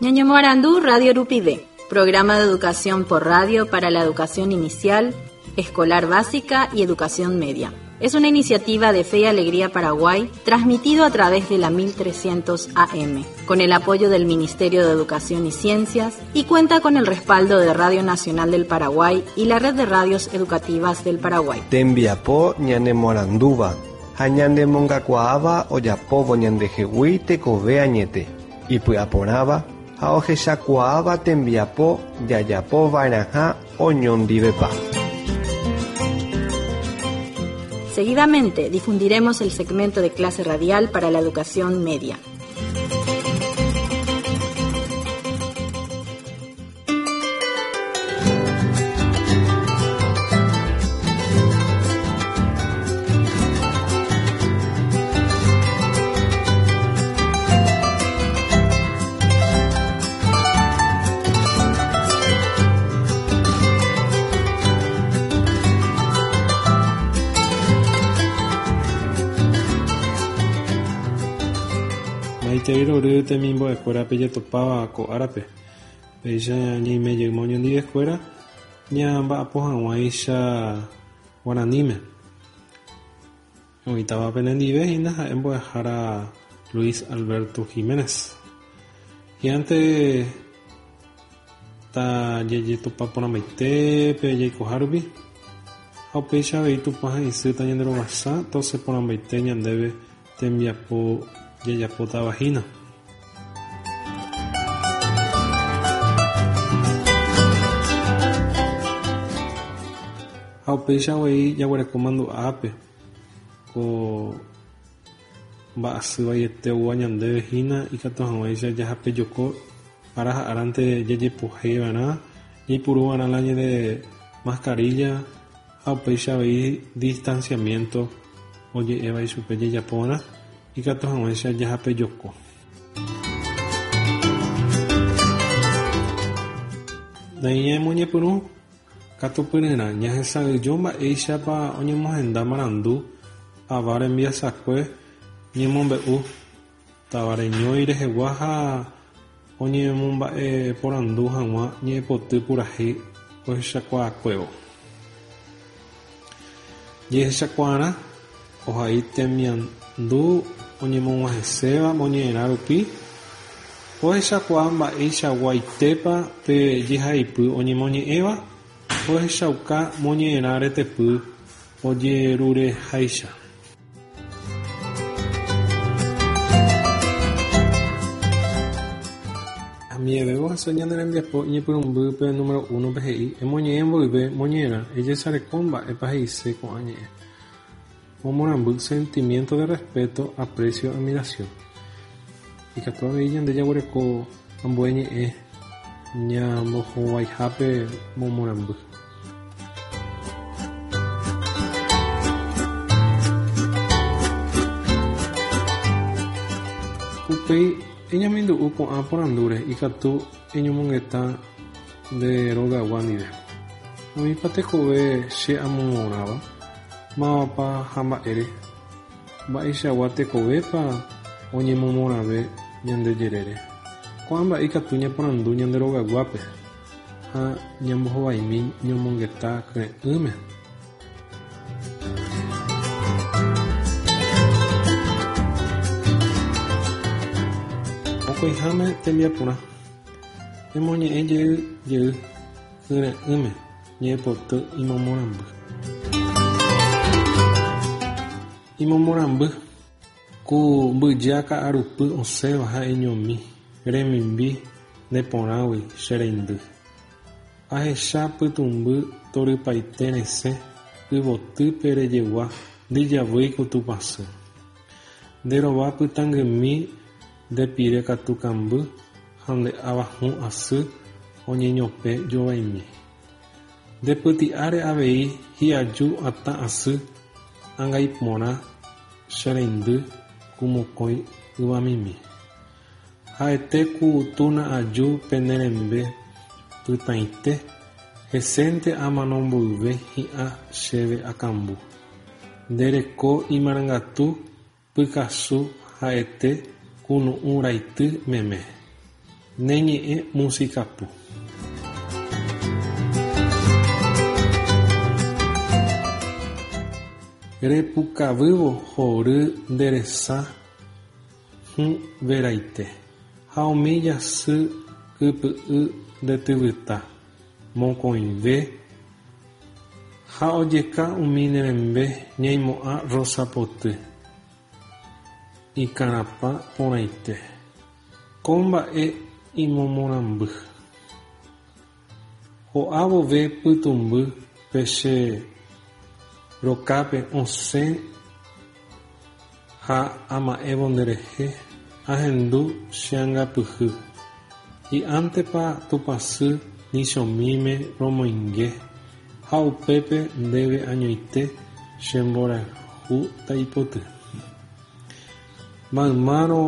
Ñañemoarandu Radio Rupive, programa de educación por radio para la educación inicial, escolar básica y educación media. Es una iniciativa de Fe y Alegría Paraguay, transmitido a través de la 1300 AM, con el apoyo del Ministerio de Educación y Ciencias y cuenta con el respaldo de Radio Nacional del Paraguay y la Red de Radios Educativas del Paraguay. Tembiapo ñanemoarandúva ha ñanemongakuaáva ojapóvo ñandehegui tekove añete, ipy'aporãva ha ohechakuaáva tembiapo jajapova'erãha oñondivepa. Seguidamente difundiremos el segmento de clase radial para la educación media. Maitei rory temimbo'ekuéra pejetopáva ko árape. Péicha ñaime jeyma oñondivekuéra ñamba'apo hag̃uáicha guaraníme. Oĩtava penendive hína ha'e mbo'ehára Luis Alberto Giménez. Hi'ãnte tajejetopa porãmbaite pe jaikoha rupi, ha upéicha avei Tupã ha isy tañanderovasa tosẽ porãmbaite ñandéve tembiapo jajapótava hína. Ha upéicha avei jaguereko mandu'ápe ko mba'asy vaiete oúva ñandéve hína ikatu hag̃uáicha jahapejoko ára ha árante jajepohéi va'erã, jaipuru va'erã la ñande mascarilla ha upéicha avei distanciamiento oje'éva ichupe jajapo va'erã ikatu hag̃uáicha jahapejoko. Nañamoñepyrũ katupyryrã ñahesa'ỹijo mba'éichapa oñemohenda marandu ava rembiasakue ñemombe'u tavareñói rehegua ha oñemomba'eporandu hag̃ua ñe'ẽpoty purahéi ohechakuaakuévo. Jehechakuaarã ohai temiandu oñemog̃uahẽséva moñe'ẽrã rupi, ohechakuaa mba'eichaguaitépa pe jehaipy oñemoñe'ẽva, ohechauka moñe'ẽrã retepy ojerureháicha. Amieve ohasa ñane rembiapo iñepyrũmbýpe número 1-pe he'i emoñe'ẽ mboyve moñe'ẽrã ejesareko mba'épa he'ise ko'ã ñe'ẽ. Momorãmby sentimiento de respeto, aprecio, admiración. Ikatu avei ñande jaguereko ambue ñe'ẽ ñambohovaihápe momorãmby. Upéi eñamindu'u ko'ã porandúre ikatu eñomongeta nde rogagua ndive. Oĩpa tekove che amomorãva, mávapa ha mba'ére? Mba'eichagua tekovépa oñemomorãve ñande jerére? Ko'ã mba'e ikatu ñaporandu ñande rogaguápe ha ñambohovaimi ñomongeta kyre'ỹme. Mokõiháme tembiaporã. Emoñe'ẽ jey jey kyre'ỹme ñe'ẽpoty imomorãmby. Imomorãmby. Ku mbyja ka'arupy osẽva ha'eñomi remimbi neporãgui che reindy. Ahecha pytũmby torypaite resẽ yvotýpe rejegua ndijavýi ku Tupãsy. Nde rova pytãngymi nde pire katu kamby ha nde áva hũ asy oñeñopẽ jovaimi. Nde pyti'áre avei hi'aju atã asy angaiporã che reindy ku mokõi yvamimi. Ha'ete ku tuna aju pene rembe pytãite, hesénte amano mboyve hi'ã chéve akambu. Nde reko imarangatu pykasu ha'ete kunu'ũ raity meme. Ne ñe'ẽ música pu. Repukavývo hory nde resa hũ veraite ha umi jasy kypy'y nde tyvyta mokõive ha ojeka umi ne rembe ñaimo'ã rosa poty ikarapã porãite. Ko mba'e imomorãmby. Ho'a vove pytũmby pe che rokápe osẽ ha ama'ẽvo nderehe, ahendu che angapyhy. Hi'ántepa Tupãsy nichomíme romoinge ha upépe ndéve añoite che mborayhu taipoty. Maymárõ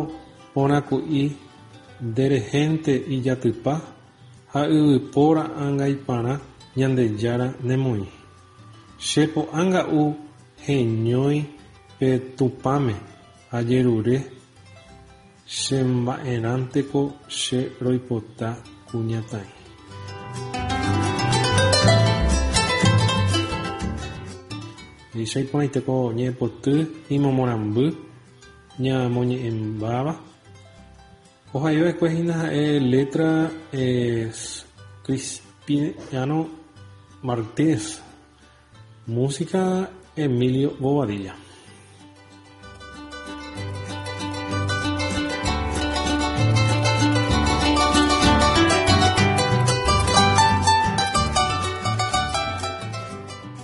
porãku'i nderehénte ijatypa ha yvypóra angaiparã Ñandejára nemoĩ. Che po'ánga'u heñói pe Tupãme ajerure che mba'erãnteko che roipota kuñataĩ. Péicha iporãite ko ñe'ẽpoty imomorãmby ñamoñe'ẽmbáva. Ohaiva'ekue hína ha'e letra es Crispiniano Martínez, música Emilio Bobadilla.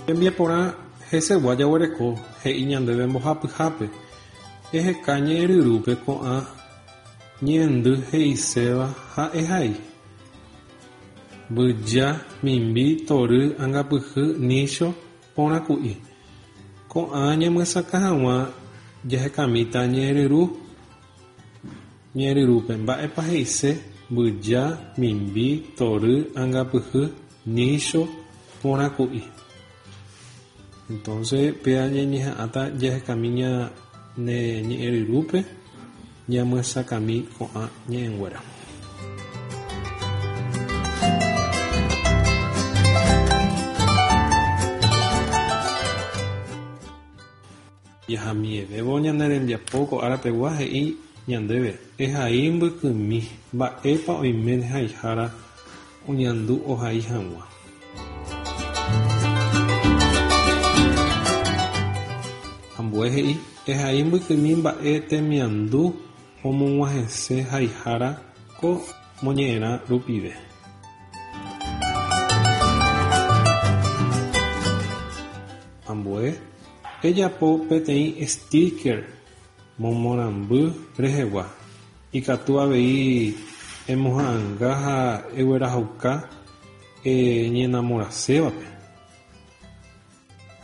Hembiaporã hesegua jaguereko he'i ñandéve mbohapyhápe, eheka ñe'ẽryrúpe ko'ã ñe'ẽndy he'iséva ha ehai. Mbyja, mimbi, tory, angapyhy, nícho, porã ku'i. Ko'ã ñamyesakã hag̃ua jahekamíta ñe'ẽryru ñe'ẽryrúpe mba'épa he'ise mbyja, mimbi, tory, angapyhy, nícho, porã ku'i. Entonces péa ñañeha'ãta jahekami ñane ñe'ẽryrúpe ñamyesakãmi ko'ã ñe'ẽnguéra. Jahamievévo ñane rembiapo ko ára pegua he'i ñandéve, Ehai mbykymi, mba'épa oime haihára oñandu ohai hag̃ua. Ambue he'i, Ehai mbykymi mba'e temiandu omog̃uahẽse haihára ko moñe'ẽrã rupive. Ambue, ejapo peteĩ sticker momorãmby rehegua. Ikatu avei emoha'ãnga ha eguerahauka eñenamorasévape.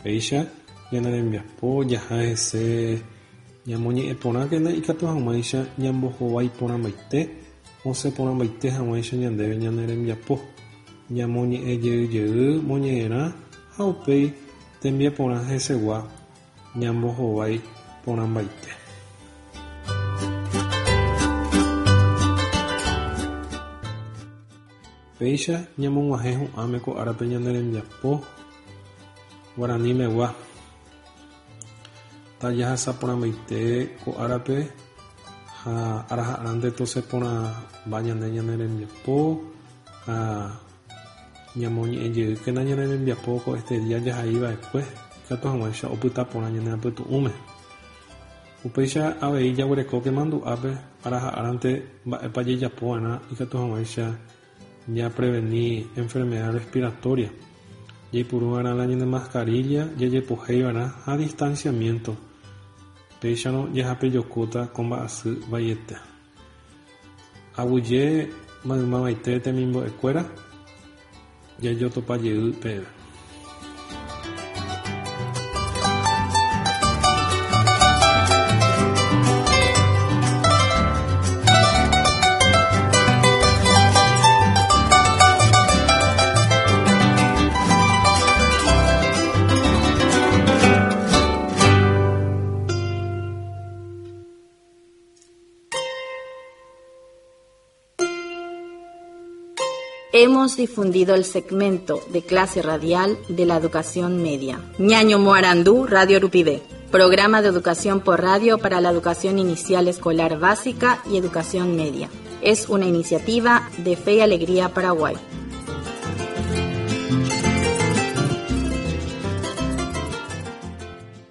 Péicha ñane rembiapo jaha hese ñamoñe'ẽ porãkena ikatu hag̃uáicha ñambohovái porãmbaite, osẽ porãmbaite hag̃uáicha ñandéve ñane rembiapo. Ñamoñe'ẽ jey jey moñe'ẽrã ha upéi tembiaporã hesegua ñambohovái porãmbaite. Péicha ñamog̃uahẽ hu'ãme ko árape ñane rembiapo guaranímegua. Tajahasa porãmbaite ko árape ha araha'arãnte tosẽ porãmba ñande ñane rembiapo ha ñamoñe'ẽjeýkena ñane rembiapo ko este día jahaiva'ekue ikatu hag̃uáicha opyta porã ñane apytu'ũme. Upéicha avei jaguerekóke mandu'ápe araha'arãnte mba'épa jajapova'erã ikatu hag̃uáicha japreveni enfermedad respiratoria. Jaipuruva'erã la ñane mascarilla, jajepohéiva'erã ha distanciamiento. Péicharõ jahapejokóta ko mba'asy vaiete. Aguyje maymavaite temimbo'ekuéra jajotopajey peẽme. Hemos difundido el segmento de clase radial de la educación media. Ñaño Moarandú, Radio Rupivé. Programa de educación por radio para la educación inicial escolar básica y educación media. Es una iniciativa de Fe y Alegría Paraguay.